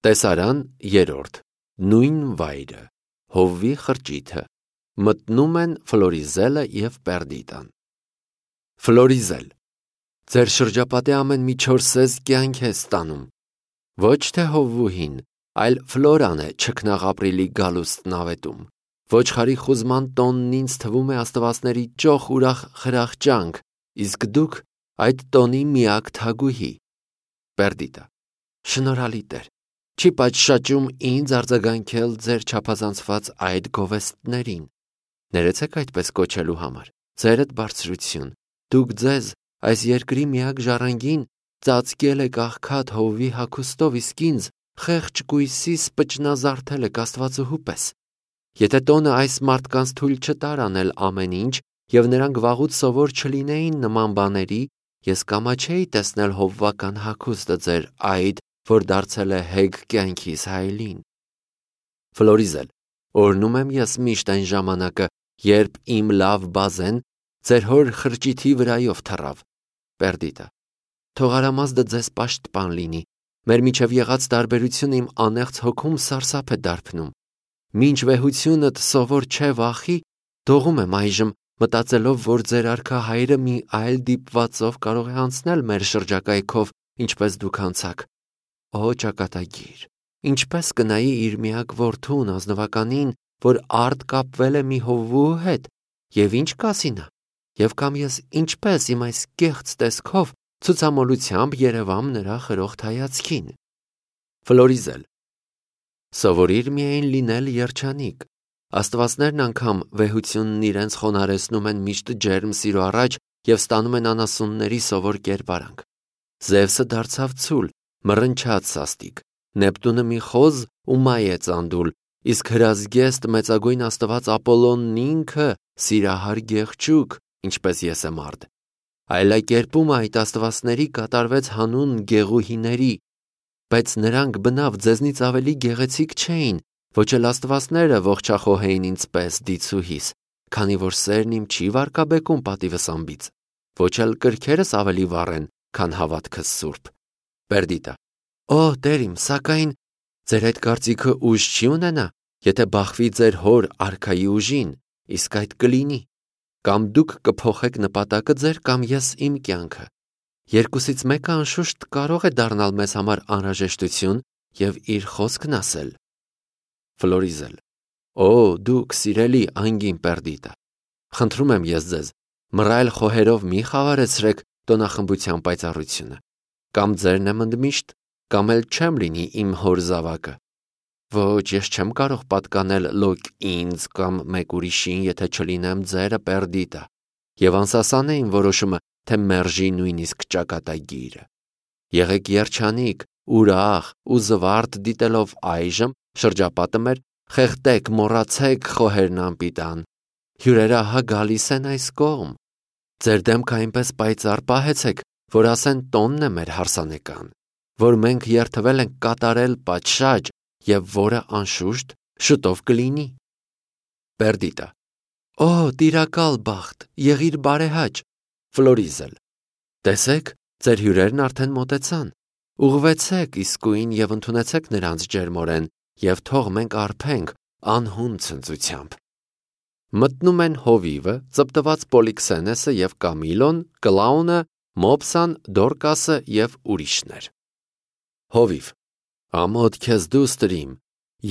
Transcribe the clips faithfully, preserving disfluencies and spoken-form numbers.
Տեսարան երրորդ, նույն վայրը, հովվի խրճիթը, մտնում են Ֆլորիզելը և Պերդիտան։ Ֆլորիզել, ձեր շրջապատի ամեն մի չորսես կյանք է ստանում, ոչ թե հովվուհին, այլ Ֆլորան է չքնաղապրիլի գալուստ նավետում, ոչխարի խուզման տոնն ինձ թվում է աստվածների ճոխ ուրախ խրախճանք, իսկ դուք այդ տոնի միակ թագուհի։ Պերդիտա, շնորհալի Տեր, չի պատշաճում ինձ արձագանքել ձեր չափազանցված այդ գովեստներին, ներեցեք այդպես կոչելու համար, ձերդ բարձրություն, դուք ձեզ այս երկրի միակ ժառանգին ծածկել եք աղքատ հովվի հագուստով, իսկ ինձ խեղճ կույսի սպճնազարդել եք աստվածուհու պես։ Եթե տոնը այս մարդկանց թույլ չտար անել ամեն ինչ, և նրանք վաղուց սովոր չլինեին նման բաների, ես կամաչեի տեսնել հովվական հագուստը ձեր այդ, որ դարձել է հեգ կյանքիս հայելին։ Ֆլորիզել, օրհնում եմ ես միշտ այն ժամանակը, երբ իմ լավ բազեն ձեր հոր խրճիթի վրայով թռավ։ Պերդիտա, թող արամազդը ձեզ պաշտպան լինի, մեր միջև եղած տարբերությունը իմ անեղծ հոգում սարսափ է դարբնում։ Մինչ վեհությունդ սովոր չէ վախի, դողում եմ այժմ, մտածելով, որ ձեր արքա հայրը մի այլ դիպվածով կարող է անցնել մեր շրջակայքով, ինչպես դուք անցաք։ Օ ճակատագիր, ինչպես կնայի իր միակ որդուն ազնվականին, որ արդ կապվել է մի հովվու հետ, և ինչ կասի նա, և կամ ես ինչպես իմ այս կեղծ տեսքով ցուցամոլությամբ երևամ նրա խրոխտ հայացքին։ Ֆլորիզել, սովորիր միայն լինել երջանիկ, աստվածներն անգամ վեհությունն իրենց խոնարհեցնում են միշտ ջերմ սիրո առաջ և ստանում են անասունների սովոր կերպարանք։ Զևսը դարձավ ցուլ, մռնչաց սաստիկ, Նեպտունը մի խոզ ու մայ է ծանդուլ, իսկ հրազգեստ մեծագույն աստված Ապոլոնն ինքը սիրահար գեղջուկ, ինչպես ես եմ արդ։ Այլակերպումը այդ աստվածների կատարվեց հանուն գեղուհիների, բայց նրանք բնավ ձեզնից ավելի գեղեցիկ չէին, ոչ էլ աստվածները ողջախոհ էին ինձպես դիցուհիս, քանի որ սերն իմ չի վարկաբեկում պատիվս ամբից, ոչ էլ կրքերս ավելի վառ են, քան հավատքս սուրբ։ Պերդիտա, օ Տեր իմ, սակայն ձեր այդ կարծիքը ուժ չի ունենա, եթե բախվի ձեր հոր արքայի ուժին, իսկ այդ կլինի, կամ դուք կփոխեք նպատակը ձեր, կամ ես իմ կյանքը։ Երկուսից մեկը անշուշտ կարող է դառնալ մեզ համար անհրաժեշտություն և իր խոսքն ասել։ Ֆլորիզել, օ դուք սիրելի անգին Պերդիտա, խնդրում եմ ես ձեզ, մռայլ խոհերով մի խավարեցրեք տոնախմբության պայծառությունը, կամ ձերն եմ ընդմիշտ, կամ էլ չեմ լինի իմ հոր զավակը։ Ոչ, ես չեմ կարող պատկանել լոկ ինձ կամ մեկ ուրիշին, եթե չլինեմ ձերը Պերդիտա, և անսասան է իմ որոշումը, թե մերժի նույնիսկ ճակատագիրը։ Եղեք երջանիկ, ուրախ ու զվարթ դիտելով այժմ շրջապատը մեր, խեղդեք, մոռացեք խոհերն անպիտան։ Հյուրերը ահա գալիս են այս կողմ։ Ձեր դեմքը այնպես պայծառ պահեցեք, որ ասեն տոնն է մեր հարսանեկան, որ մենք երդվել ենք կատարել պատշաճ և որը անշուշտ շուտով կլինի։ Պերդիտա, օ տիրակալ բախտ, եղիր բարեհաճ։ Ֆլորիզել, տեսեք, ձեր հյուրերն արդեն մոտեցան, ուղղվեցեք իսկույն և ընդունեցեք նրանց ջերմորեն, և թող մենք արբենք անհուն ցնծությամբ։ Մտնում են հովիվը, ծպտված Պոլիքսենեսը և Կամիլոն, Կլաունը, Մոպսան, Դորկասը և ուրիշներ։ Հովիվ, ամոթ քեզ դուստրիմ,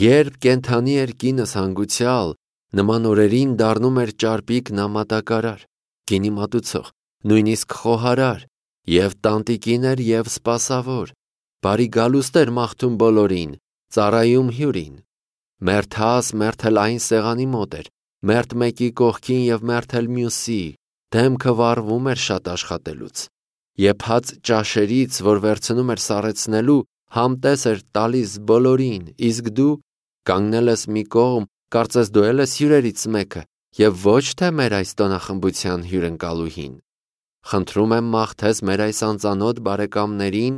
երբ կենդանի էր կինս հանգուցյալ, նման օրերին դառնում էր ճարպիկ նամատակարար, գինի մատուցող, նույնիսկ խոհարար, և տանտիկին էր և սպասավոր, բարի գալուստ էր մաղթում բոլորին, ծառայում հյուրին, մերթաս մերթել այն սեղանի մոտ էր, մերթ մեկի կողքին և մերթել մյուսի, դեմքը վառվում էր շատ աշխատելուց, եփած ճաշերից, որ վերցնում էր սառեցնելու, համտես էր տալիս բոլորին, իսկ դու կանգնել ես մի կողմ, կարծես դու էլ ես հյուրերից մեկը, և ոչ թե մեր այս տոնախմբության հյուրընկալուհին։ Խնդրում եմ մաղթես մեր այս անծանոթ բարեկամներին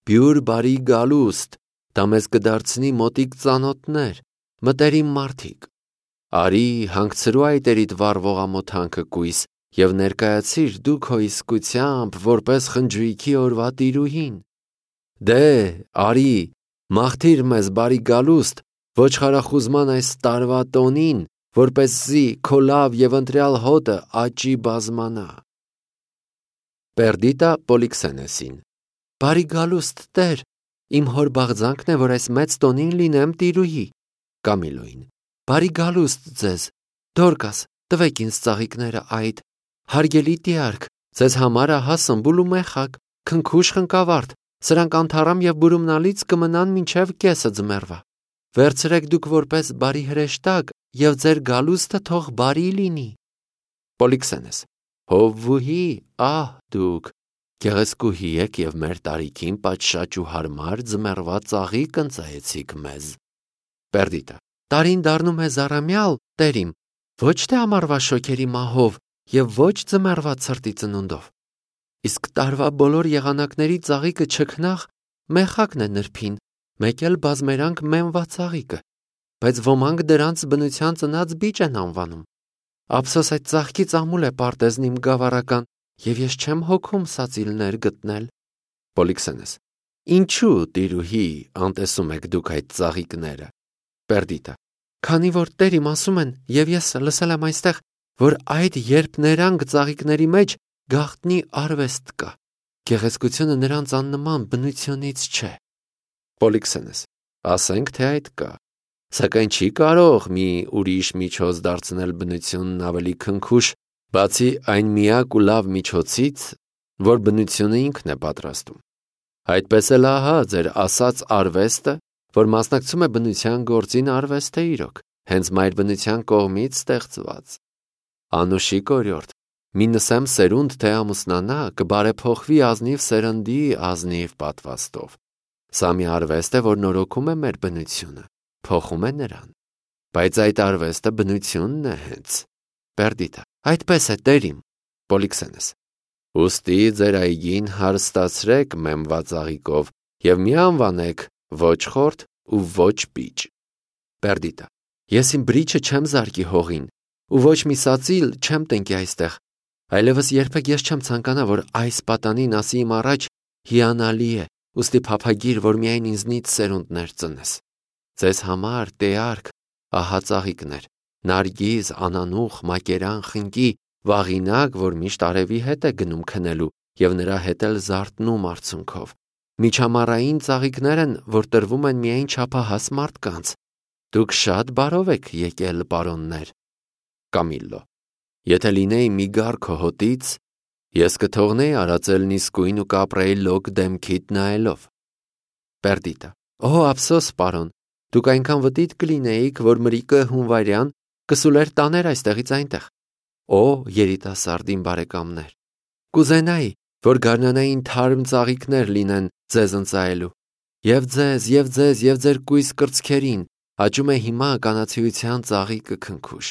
բյուր բարի գալուստ, դա մեզ կդարձնի մոտիկ ծանոթներ, մտերիմ մարդիկ։ Արի հանգցրու այտերիդ վառվող ամոթանքը կույս և ներկայացիր դու քո իսկությամբ որպես խնջույքի օրվա տիրուհին։ Դե, արի, Մաղթիր մեզ բարի գալուստ, ոչխարախուզման այս տարվա տոնին, որպեսզի քո լավ և ընտրյալ հոտը աճի բազմանա։ Պերդիտա Պոլիքսենեսին. Բարի գալուստ, Տեր, իմ հոր բաղձանքն է, որ այս մեծ տոնին լինեմ տիրուհի։ Կամիլոին. Բարի գալուստ ձեզ, Դորկաս, տվեք ինձ ծաղիկները այդ, հարգելի տիարք, ձեզ համար ահա սմբուլ ու մեխակ, քնքուշ խնկավարդ, սրանք անթառամ և բուրումնալից կմնան մինչև կեսը ձմեռվա։ Վերցրեք դուք որպես բարի հրեշտակ և ձեր գալուստը թող բարի լինի։ Պոլիքսենես. Հովվուհի, ահ դուք, գեղեցկուհի եք և մեր տարիքին պատշաճ ու հարմար ձմեռվա ծաղիկ ընծայեցիք մեզ։ Պերդիտա. Տարին դառնում է զառամյալ, Տեր իմ, ոչ թե ամառվա շոգերի մահով և ոչ ձմեռվա ցրտի ծնունդով։ Իսկ տարվա բոլոր եղանակների ծաղիկը չքնաղ մեխակն է նրբին, մեկ էլ բազմերանք մեմվա ծաղիկը, բայց ոմանք դրանց բնության ծնած բիճ են անվանում։ Ափսոս այդ ծաղկից ամուլ է պարտեզն իմ գավառական, և ես չեմ հոգում սածիլներ գտնել։ Պոլիքսենես. Ինչու, տիրուհի, անտեսում եք դուք այդ ծաղիկները։ Պերդիտա. Քանի որ Տեր իմ ասում են, և ես լսել եմ այստեղ, որ այդ երբ ներանք ծաղիկների մեջ գաղտնի արվեստ կա, գեղեցկությունը նրանց աննման բնությունից չէ։ Պոլիքսենես. Ասենք թե այդ կա, սակայն չի կարող մի ուրիշ միջոց դարձնել բնությունն ավելի քնքուշ, բացի այն միակ ու լավ միջոցից, որ բնությունը ինքն է պատրաստում։ Այդպես էլ ահա ձեր ասած արվեստը, որ մասնակցում է բնության գործին, արվեստ է իրոք, հենց մայր բնության կողմից ստեղծված։ Անուշիկ օրիորդ, մի նսեմ սերունդ թե ամուսնանա, կբարեփոխվի ազնիվ սերնդի ազնիվ պատվաստով։ Սա մի արվեստ է, որ նորոգում է մեր բնությունը, փոխում է նրան։ Բայց այդ արվեստը բնությունն է հենց։ Պերդիտա. Այդպես է, Տեր իմ։ Պոլիքսենես. Ուստի ձեր այգին հարստացրեք մեմվա ծաղիկով և մի անվանեք ոչ խորթ ու ոչ պիճ։ Պերդիտա. Ես իմ բրիչը չեմ զարկի հողին ու ոչ մի սածիլ չեմ տնկի այստեղ, այլևս երբեք ես չեմ ցանկանա, որ այս պատանին ասի իմ առաջ հիանալի է, ուստի փափագիր, որ միայն ինձնից սերունդներ ծնես։ Ձեզ համար, տեարք, ահա ծաղիկներ, նարգիզ, անանուխ, մակերան, խնկի, վաղինակ, որ միշտ արևի հետ է գնում քնելու և նրա հետ էլ զարթնում արցունքով։ Միջամառային ծաղիկներ են, որ տրվում են միայն չափահաս մարդկանց։ Դուք շատ բարով եք եկել, պարոններ։ Կամիլլո. Եթե լինեի մի գար քո հոտից, ես կթողնեի արածելն իսկույն ու կապրեի լոկ դեմքիդ նայելով։ Պերդիտա. Օ, ափսոս, պարոն, դուք այնքան վտիտ կլինեիք, որ մրիկը հունվարյան կսուլեր տաներ այստեղից այնտեղ։ Օ, երիտասարդ իմ բարեկամներ, կուզենայի, որ գարնանային թարմ ծաղիկներ լինեն ձեզ ընծայելու։ Եվ ձեզ, և ձեզ, և ձեր կույս կրծքերին աճում է հիմա կանացիության ծաղիկը քնքուշ։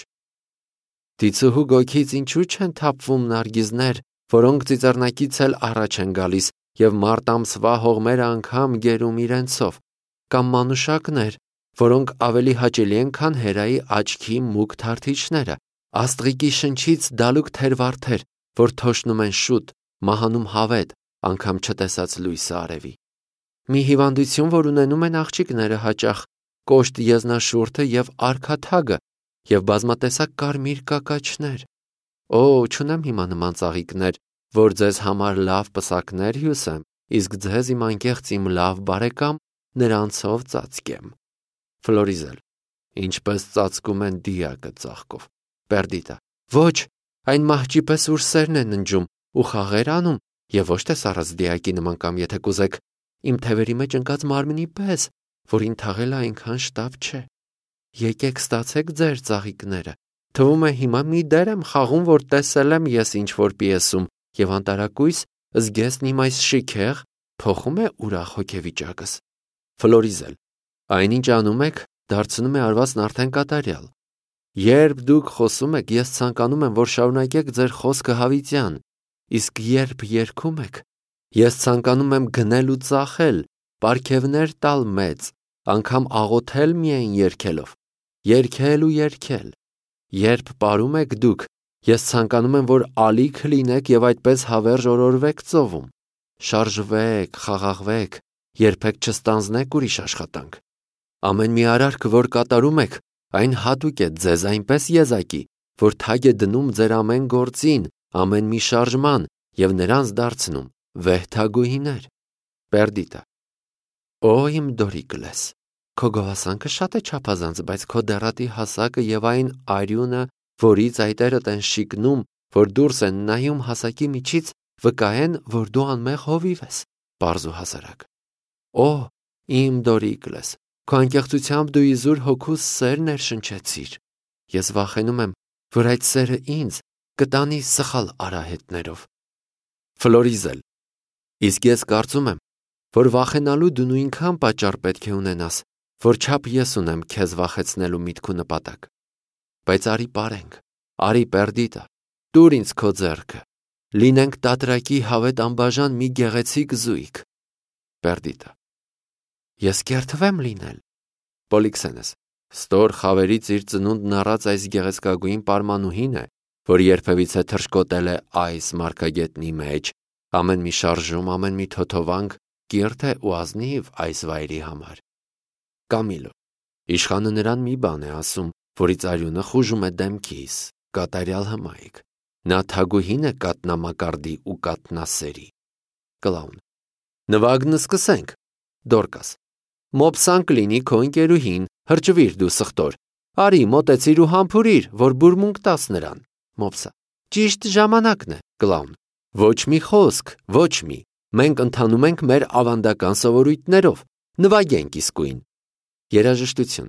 Դիցուհու գոգից ինչու չեն թափվում նարգիզներ, որոնք ծիծեռնակից էլ առաջ են գալիս և մարտ ամսվա հողմերը անգամ գերում իրենցով, կամ մանուշակներ, որոնք ավելի հաճելի են, քան հերայի աչքի մուգ թարթիչները, աստղիկի շնչից դալուկ թերվարդեր, որ թոշնում են շուտ, մահանում հավետ, անգամ չտեսած լույսը արևի։ Մի հիվանդություն, որ ունենում են աղջիկները հաճախ, կոշտ եզնաշուրթը և արքաթագը, և բազմատեսակ կարմիր կակաչներ։ Օ, չունեմ հիմա նման ծաղիկներ, որ ձեզ համար լավ պսակներ հյուսեմ, իսկ ձեզ իմ անկեղծ իմ լավ բարեկամ նրանցով ծածկեմ։ Ֆլորիզել. Ինչպես ծածկում են դիակը ծաղկով։ Պերդիտա. Ոչ, այն մահճի պես ուր սերն է ննջում ու խաղեր անում, և ոչ թե սառած դիակի նման կամ եթե կուզեք, իմ թևերի մեջ ընկած մարմնի պես, որին թաղելը այնքան շտապ չէ։ Եկեք ստացեք ձեր ծաղիկները։ Թվում է հիմա մի դեր եմ խաղում, որ տեսել եմ ես ինչ-որ պիեսում, և անտարակույս զգեստն իմ այս շիքեղ փոխում է ուրախ հոգեվիճակս։ Ֆլորիզել. Այնինչ անում եք, դարձնում է արվածն արդեն կատարյալ։ Երբ դուք խոսում եք, ես ցանկանում եմ, որ շարունակեք ձեր խոսքը հավիտյան, իսկ երբ երգում եք, ես ցանկանում եմ գնել ու ծախել, պարգևներ տալ մեծ, անգամ աղոթել միայն երգելով, երգել ու երգել։ Երբ պարում եք դուք, ես ցանկանում եմ, որ ալիք լինեք և այդպես հավերժ օրորվեք ծովում։ Շարժվեք, խաղաղվեք, երբեք չստանձնեք ուրիշ աշխատանք։ Ամեն մի արարք, որ կատարում եք, այն հատուկ է ձեզ այնպես եզակի, որ թագ է դնում ձեր ամեն գործին, ամեն մի շարժման և նրանց դարձնում վեհ թագուհիներ։ Պերդիտա. Օ իմ Դորիկլես, քո գովասանքը շատ է չափազանց, բայց քո դեռատի հասակը և այն արյունը, որից այտերդ են շիկնում, որ դուրս են նայում հասակի միջից, վկայեն, որ դու անմեղ հովիվ ես, պարզ ու հասարակ։ Օ իմ Դորիկլես, քո անկեղծությամբ դու իզուր հոգուս սեր ներշնչեցիր։ Ես վախենում եմ, որ այդ սերը ինձ կտանի սխալ արահետներով։ Ֆլորիզել. Իսկ ես կարծում եմ, որ վախենալու դու նույնքան պատճառ պետք է ունենաս, որչափ ես ունեմ քեզ վախեցնելու միտք ու նպատակ։ Բայց արի պարենք, արի Պերդիտա, տուր ինձ քո ձեռքը, լինենք տատրակի հավետ անբաժան մի գեղեցիկ զույգ։ Պերդիտա. Ես կերթվեմ լինել։ Պոլիքսենես. Ստոր խավերից իր ծնունդն առած այս գեղեցկագույն պարմանուհին է, որ երբևիցե թռչկոտել է այս մարգագետնի մեջ, ամեն մի շարժում, ամեն մի թոթովանք կիրթ է ու ազնիվ այս վայրի համար։ Կամիլո. Իշխանը նրան մի բան է ասում, որից արյունը խուժում է դեմքիս, կատարյալ հմայք։ Նա թագուհին է կատնամակարդի ու կատնասերի։ Կլաուն. Նվագն սկսենք։ Դորկաս. Մոպսան կլինի քո ընկերուհին, հրճվիր դու սխտոր։ Արի մոտեցիր ու համբուրիր, որ բուրմունք տաս նրան։ Մոպսա. Ճիշտ ժամանակն է։ Կլաուն. Ոչ մի խոսք, ոչ մի։ Մենք ընթանում ենք մեր ավանդական սովորույթներով։ Նվագենք իսկույն։ Երաժշտություն։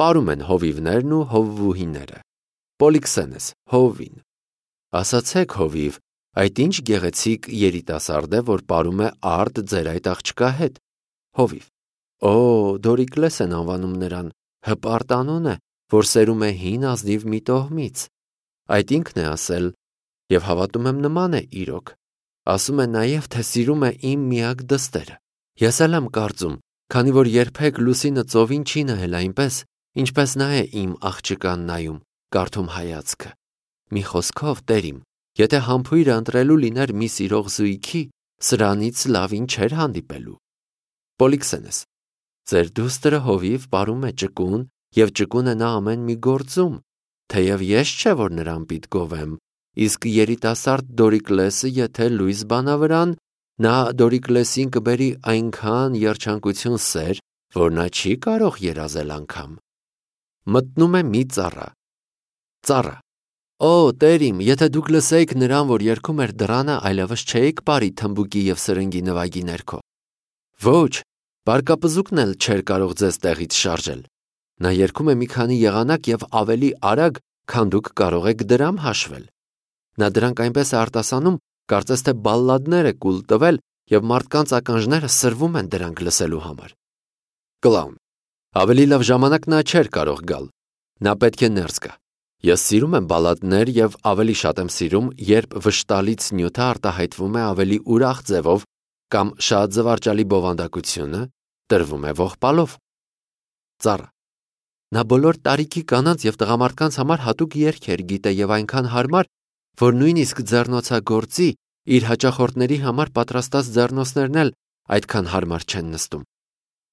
Պարում են հովիվներն ու հովվուհիները։ Պոլիքսենես հովին. Ասացեք հովիվ, այդ ինչ գեղեցիկ երիտասարդ է, որ պարում է արդ ձեր այդ աղջկա հետ։ Հովիվ. Օ, Դորիկլես են անվանում նրան, հպարտ անուն է, որ սերում է հին ազնիվ մի տոհմից։ Այդ ինքն է ասել, և հավատում եմ նման է իրոք։ Ասում է նաև, թե սիրում է իմ միակ դստերը։ Ես էլ եմ կարծում, քանի որ երբեք լուսինը ծովին չի նայել այնպես, ինչպես նա է իմ աղջկան նայում, կարդում հայացքը։ Մի խոսքով, տերիմ, եթե համբույրը ընտրելու լիներ մի սիրող զույգի, սրանից լավին չէր հանդիպելու։ Պոլիքսենես. Ձեր դուստրը հովիվ պարում է ճկուն, և ճկուն է նա ամեն մի գործում, թեև ես չէ, որ նրան պիտ գովեմ, իսկ երիտասարդ Դորիկլեսը, եթե լույս բանա վրան, նա Դորիկլեսին կբերի այնքան երջանկություն սեր, որ նա չի կարող երազել անգամ։ Մտնում է մի ծառա։ Ծառա. Օ, տերիմ, եթե դուք լսեիք նրան, որ երգում էր դռանը, այլևս չէիք բարի թմբուկի և սրնգի նվագի ներքո։ Ոչ, բարկապզուկն էլ չէր կարող ձեզ տեղից շարժել։ Նա երգում է մի քանի եղանակ և ավելի արագ, քան դուք կարող եք դրամ հաշվել։ Նա դրանք այնպես է արտասանում, կարծես թե բալլադներ է կուլ տվել և մարդկանց ականջները սրվում են դրանք լսելու համար։ Կլաուն. Ավելի լավ ժամանակ նա չէր կարող գալ։ Նա պետք է ներս գա։ Ես սիրում եմ բալլադներ և ավելի շատ եմ սիրում, երբ վշտալից նյութը արտահայտվում է ավելի ուրախ ձևով կամ շատ զվարճալի բովանդակությունը տրվում է ողբալով։ Ծառա. Նա բոլոր տարիքի կանանց և տղամարդկանց համար հատուկ երգեր գիտե և այնքան հարմար, որ նույնիսկ ձեռնոցագործի իր հաճախորդների համար պատրաստած ձեռնոցներն էլ այդքան հարմար չեն նստում։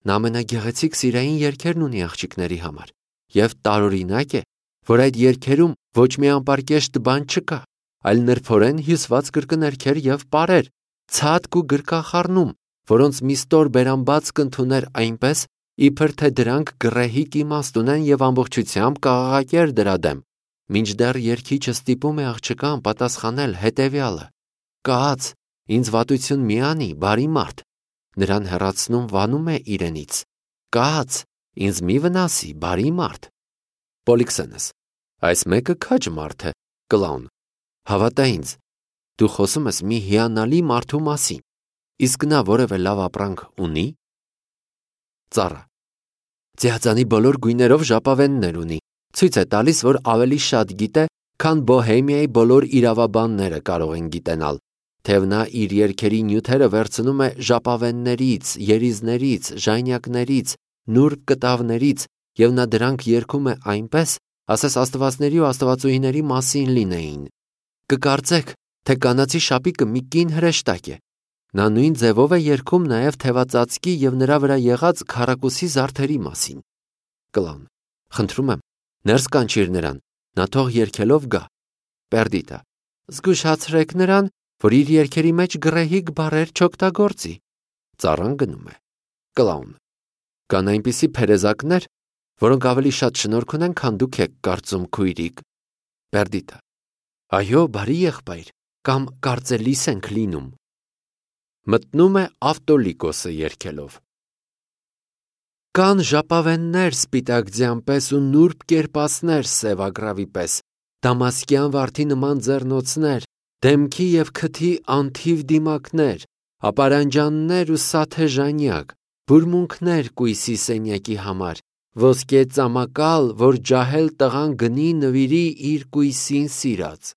Նա ամենագեղեցիկ սիրային երգերն ունի աղջիկների համար և տարօրինակ է, որ այդ երգերում ոչ մի անպարկեշտ բան չկա, այլ նրբորեն հյուսված կրկներգեր և պարեր, ցատկ ու գրկախառնում, որոնց մի ստոր բերանբաց կընդուներ այնպես, իբր թե դրանք գռեհիկ իմաստ ունեն և ամբողջությամբ կաղաղակեր դրա դեմ, մինչդեռ երգիչը ստիպում է աղջկան պատասխանել հետևյալը. Կաց, ինձ վատություն մի անի, բարի մարդ, նրան հեռացնում վանում է իրենից, կաց, ինձ մի վնասի, բարի մարդ։ Պոլիքսենես. Այս մեկը քաջ մարդ է։ Կլաուն. Հավատա ինձ, դու խոսում ես մի հիանալի մարդու մասին, իսկ նա որևէ լավ ապրանք ունի։ Ծառա. Ձիածանի բոլոր գույներով ժապավեններ ունի, ցույց է տալիս, որ ավելի շատ գիտե, քան Բոհեմիայի բոլոր իրավաբանները կարող են գիտենալ, թեև նա իր երգերի նյութերը վերցնում է ժապավեններից, երիզներից, ժայնյակներից, նուրբ կտավներից, և նա դրանք երգում է այնպես, ասես աստվածների ու աստվածուհիների մասին լինեին։ Կկարծեք, թե կանացի շապիկը մի կին հրեշտակ է։ Նա նույն ձևով է երգում նաև թևածածկի և նրա վրա եղած քառակուսի զարդերի մասին։ Կլաուն. Խնդրում եմ, ներս կանչիր նրան, նա թող երգելով գա։ Պերդիտը. Զգուշացրեք նրան, որ իր երգերի մեջ գռեհիկ բառեր չօգտագործի։ Ծառան գնում է։ Կլաուն. Կան այնպիսի փերեզակներ, որոնք ավելի շատ շնորհք ունեն, քան դուք եք կարծում, քույրիկ։ Պերդիտը. Այո, բարի եղբայր, կամ կարծելիս ենք լինում։ Մտնում է Ավտոլիկոսը երգելով։ Կան ժապավեններ սպիտակ ձյան պես ու նուրբ կերպասներ սև ագռավի պես, դամասկյան վարդի նման ձեռնոցներ, դեմքի և քթի անթիվ դիմակներ, ապարանջաններ ու սաթե ժանյակ, բուրմունքներ կույսի սենյակի համար, ոսկե ծամակալ, որ ջահել տղան գնի նվիրի իր կույսին սիրած,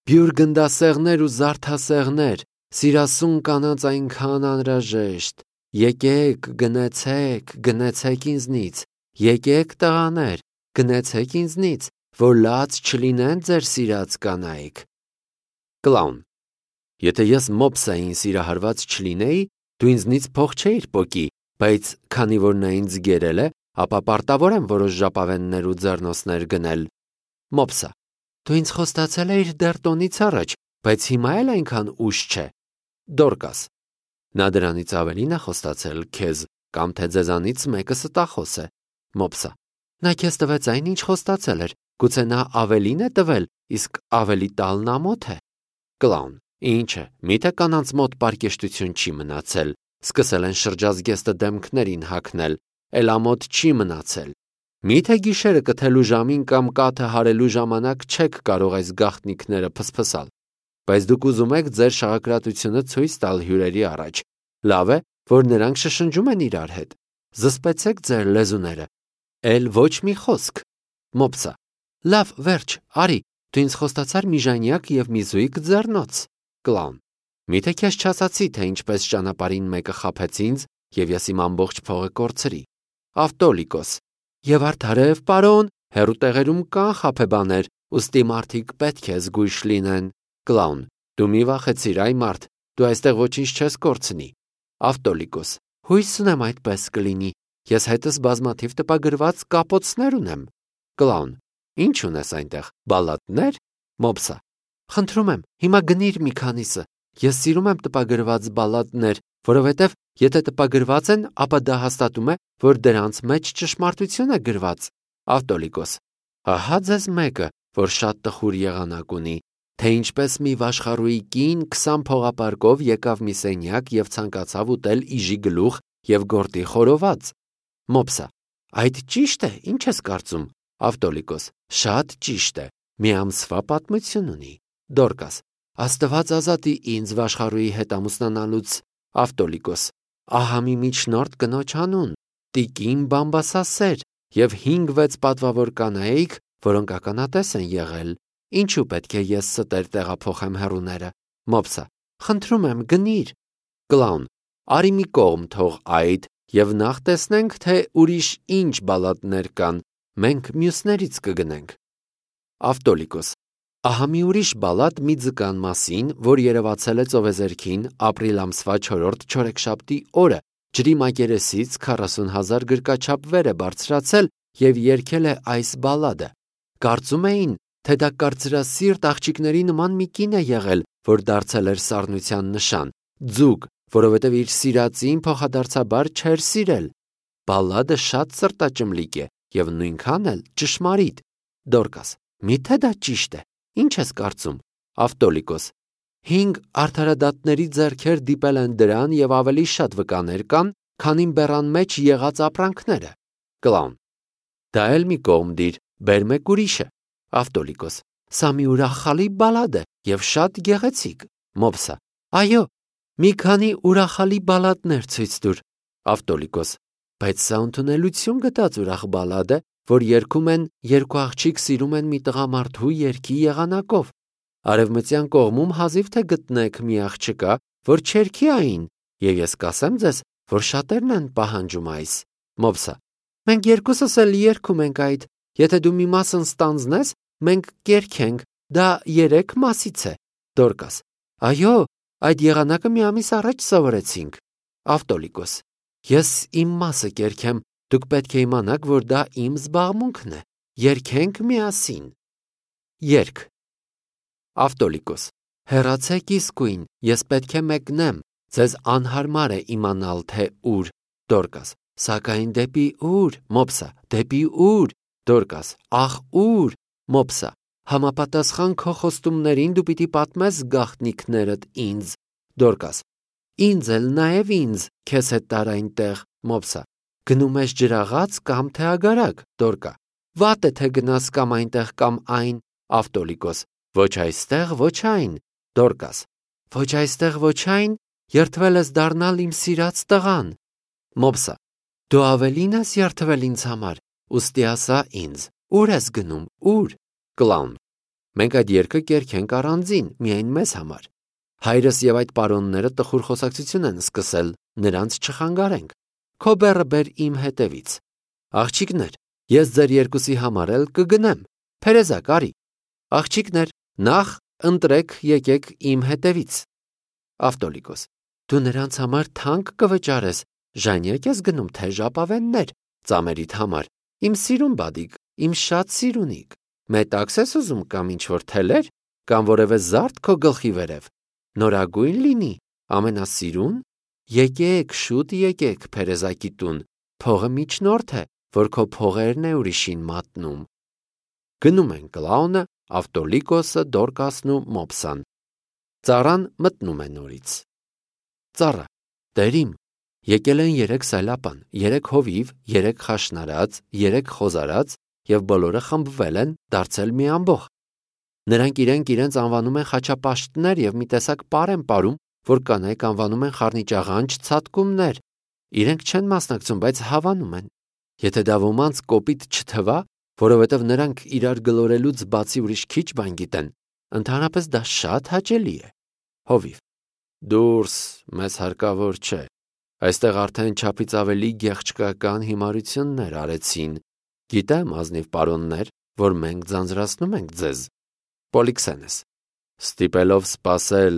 բյուր գնդասեղներ ու զարդասեղներ, սիրասուն կանանց այնքան անհրաժեշտ, եկեք, գնեցեք, գնեցեք ինձնից, եկեք տղաներ, գնեցեք ինձնից, որ լաց չլինեն ձեր սիրած կանայք։ Կլաուն. Եթե ես մոպսային սիրահարված չլինեի, դու ինձնից փող չէիր պոկի, բայց քանի որ նա ինձ գերել է, ապա պարտավոր եմ որոշ ժապավեններ ու ձեռնոցներ գնել։ Մոպսա. Դու ինձ խոստացել էիր դեռ տոնից առաջ, բայց հիմա էլ այնքան ուշ չէ։ Դորկաս. Նա դրանից ավելին է խոստացել քեզ, կամ թե ձեզանից մեկը ստախոս է։ Մոպսա. Նա քեզ տվեց այն, ինչ խոստացել էր, գուցե նա ավելին է տվել, իսկ ավելի տալն ամոթ է։ Կլաուն. Ինչ է, միթե կանանց մոտ պարկեշտություն չի մնացել, սկսել են շրջազգեստը դեմքներին հագնել, էլ ամոթ չի մնացել։ Միթե գիշերը կթելու ժամին կամ կաթը հարելու ժամանակ չեք կարող այս գաղտնիքները փսփսալ, բայց դուք ուզում եք ձեր շաղակրատությունը ցույց տալ հյուրերի առաջ։ Լավ է, որ նրանք շշնջում են իրար հետ։ Զսպեցեք ձեր լեզուները։ Էլ ոչ մի խոսք։ Մոպսա. Լավ, վերջ, արի, դու ինձ խոստացար մի ժանյակ և մի զույգ ձեռնոց։ Կլաուն. Միթե քեզ չասացի, թե ինչպես ճանապարհին մեկը խաբեց ինձ, և ես իմ ամբողջ փողը կորցրի։ Ավտոլիկոս. Եվ արդարև, պարոն, հեռու տեղերում կան խաբեբաներ, ուստի մարդիկ պետք է զգույշ լինեն։ Կլաուն. Դու մի վախեցիր, այ մարդ, դու այստեղ ոչինչ չես կորցնի։ Ավտոլիկոս. Հույս ունեմ այդպես կլինի։ Ես հետս բազմաթիվ տպագրված կապոցներ ունեմ։ Կլաուն. Ինչ ունես այնտեղ, բալլադներ։ Մոպսա. Խնդրում եմ, հիմա գնիր մի քանիսը։ Ես սիրում եմ տպագրված բալլադներ, որովհետև եթե տպագրված են, ապա դա հաստատում է, որ դրանց մեջ ճշմարտություն է գրված։ Ավտոլիկոս. Ահա ձեզ մեկը, որ շատ տխուր եղանակ ունի, թե ինչպես մի վաշխառուի կին քսան փողապարկով եկավ մի սենյակ և ցանկացավ ուտել իժի գլուխ և գորտի խորոված։ Մոպսա. Այդ ճիշտ է, ինչ ես կարծում։ Ավտոլիկոս. Շատ ճիշտ է, մի ամսվա պատմություն ունի։ Դորկաս. Աստված ազատի ինձ վաշխառուի հետ ամուսնանալուց։ Ավտոլիկոս. Ահա մի միջնորդ կնոջ անուն, տիկին Բամբասասեր և հինգ-վեց պատվավոր կանայք, որոնք ականատես են եղել։ Ինչու պետք է ես ստեր տեղափոխեմ հեռուները։ Մոպսա. Խնդրում եմ, գնիր։ Կլաուն. Արի մի կողմ թող այդ, և նախ տեսնենք, թե ուրիշ ինչ բալլադներ կան, մենք մյուսներից կգնենք։ Ավտոլիկոս. Ահա մի ուրիշ բալլադ մի ձկան մասին, որ երևացել է ծովեզերքին ապրիլ ամսվա չորրորդ չորեքշաբթի օրը, ջրի մակերեսից քառասուն հազար գրկաչափ վեր է բարձրացել և երգել է այս բալլադը։ Կարծում էին, թե դա կարծրասիրտ աղջիկների նման մի կին է եղել, որ դարձել էր սառնության նշան, ձուկ, որովհետև իր սիրածին փոխադարձաբար չէր սիրել։ Բալլադը շատ սրտաճմլիկ է և նույնքան էլ ճշմարիտ։ Դորկաս. Միթե դա ճիշտ է։ Ինչ ես կարծում։ Ավտոլիկոս. Հինգ արդարադատների ձեռքեր դիպել են դրան և ավելի շատ վկաներ կան, քան իմ բեռան մեջ եղած ապրանքները։ Կլաուն. Դա էլ մի կողմ դիր, բեր մեկ ուրիշը։ Ավտոլիկոս. Սա մի ուրախալի բալլադ է և շատ գեղեցիկ։ Մոպսա. Այո, մի քանի ուրախալի բալլադներ ցույց տուր։ Ավտոլիկոս. Բայց սա ընդունելություն գտած ուրախ բալլադ է, որ երգում են երկու աղջիկ սիրում են մի տղամարդու երգի եղանակով։ Արևմտյան կողմում հազիվ թե գտնեք մի աղջկա, որ չերգի այն, և ես կասեմ ձեզ, որ շատերն են պահանջում այս։ Մոպսա. Մենք երկուսս էլ երգում ենք այդ, եթե դու մի մասն ստանձնես, մենք կերգենք, դա երեք մասից է։ Դորկաս. Այո, Այդ եղանակը մի ամիս առաջ սովորեցինք։ Ավտոլիկոս. Ես իմ մասը կերքեմ, դուք պետք է իմանաք, որ դա իմ զբաղմունքն է։ Երգենք միասին։ Երգ։ Ավտոլիկոս. Հեռացեք իսկույն, ես պետք է մեկնեմ, ձեզ անհարմար է իմանալ, թե ուր։ Դորկաս. Սակայն դեպի ուր։ Մոպսա. Դեպի ուր։ Դորկաս. Ախ ուր։ Մոպսա. Համապատասխան քո խոստումներին դու պիտի պատմես գաղտնիքներդ ինձ։ Դորկաս. Ինձ էլ նաև ինձ, քեզ հետ տար այնտեղ։ Մոպսա. Գնում ես ջրաղաց կամ թե ագարակ։ Դորկա. Վատ է թե գնաս կամ այնտեղ կամ այն։ Ավտոլիկոս. Ոչ այստեղ, ոչ այն։ Դորկաս. Ոչ այստեղ, ոչ այն, երդվել ես դառնալ իմ սիրած տղան։ Մոպսա. Դու ավելին ես երդվել ինձ համար, ուստի ասա ինձ, ուր ես գնում, ուր։ Կլաուն. Մենք այդ երգը կերքենք առանձին, միայն մեզ համար։ Հայրս եւ այդ պարոնները տխուր խոսակցություն են սկսել, նրանց չխանգարենք։ Քո բեռը բեր իմ հետևից։ Աղջիկներ, ես ձեր երկուսի համար էլ կգնեմ։ Փերեզակ արի։ Աղջիկներ, նախ ընտրեք, եկեք իմ հետևից։ Ավտոլիկոս. Դու նրանց համար թանկ կվճարես, ժանյակ ես գնում, թե ժապավեններ, ծամերիդ համար, իմ սիրուն բադիկ, իմ շատ սիրունիկ, մետաքս ես ուզում կամ ինչ-որ թելեր, կամ որևէ զարդ քո գլխի վերև, նորագույն լինի, ամենասիրուն, եկեք, շուտ եկեք Փերեզակի տուն, փողը միջնորդ է, որ քո փողերն է ուրիշին մատնում։ Գնում են կլաունը, Ավտոլիկոսը, Դորկասն ու Մոպսան։ Ծառան մտնում է նորից։ Ծառա. Տերիմ, եկել են երեք սայլապան, երեք հովիվ, երեք խաշնարած, երեք խոզարած եւ բոլորը խմբվել են, դարձել մի ամբոխ։ Նրանք իրենք իրենց անվանում են խաչապաշտներ եւ մի տեսակ պար են ապարում, որ կանայք անվանում են խառնիճաղանջ ցատկումներ։ Իրենք չեն մասնակցում, բայց հավանում են։ Եթե դա ոմանց կոպիտ չթվա, որովհետև նրանք իրար գլորելուց բացի ուրիշ քիչ բան գիտեն, ընդհանրապես դա շատ հաճելի է։ Հովիվ. Դուրս, մեզ հարկավոր չէ։ Այստեղ արդեն չափից ավելի գեղչկական հիմարություններ արեցին։ Գիտեմ, ազնիվ պարոններ, որ մենք ձանձրացնում ենք ձեզ։ Պոլիքսենես. Ստիպելով սպասել,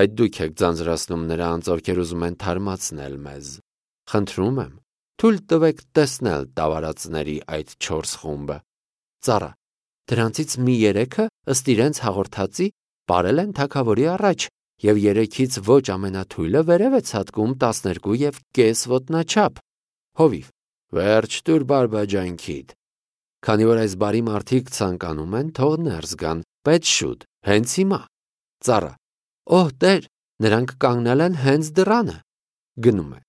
այդ դուք եք ձանձրացնում նրանց, ովքեր ուզում են թարմացնել մեզ։ Խնդրում եմ, թույլ տվեք տեսնել տավարածների այդ չորս խումբը։ Ծառա. Դրանցից մի երեքը ըստ իրենց հաղորդածի ապարել են թագավորի առաջ, եւ երեքից ոչ ամենաթույլը վերև է ցատկում տասներկու եւ կես ոտնաչափ։ Հովիվ. Վերջ տուր բարբաջանքիդ։ Քանի որ այս բարի մարդիկ ցանկանում են, թող ներս գան, բայց շուտ, հենց հիմա։ Ծառա. Օհ, տեր, նրանք կանգնել են հենց դռանը։ Գնում է։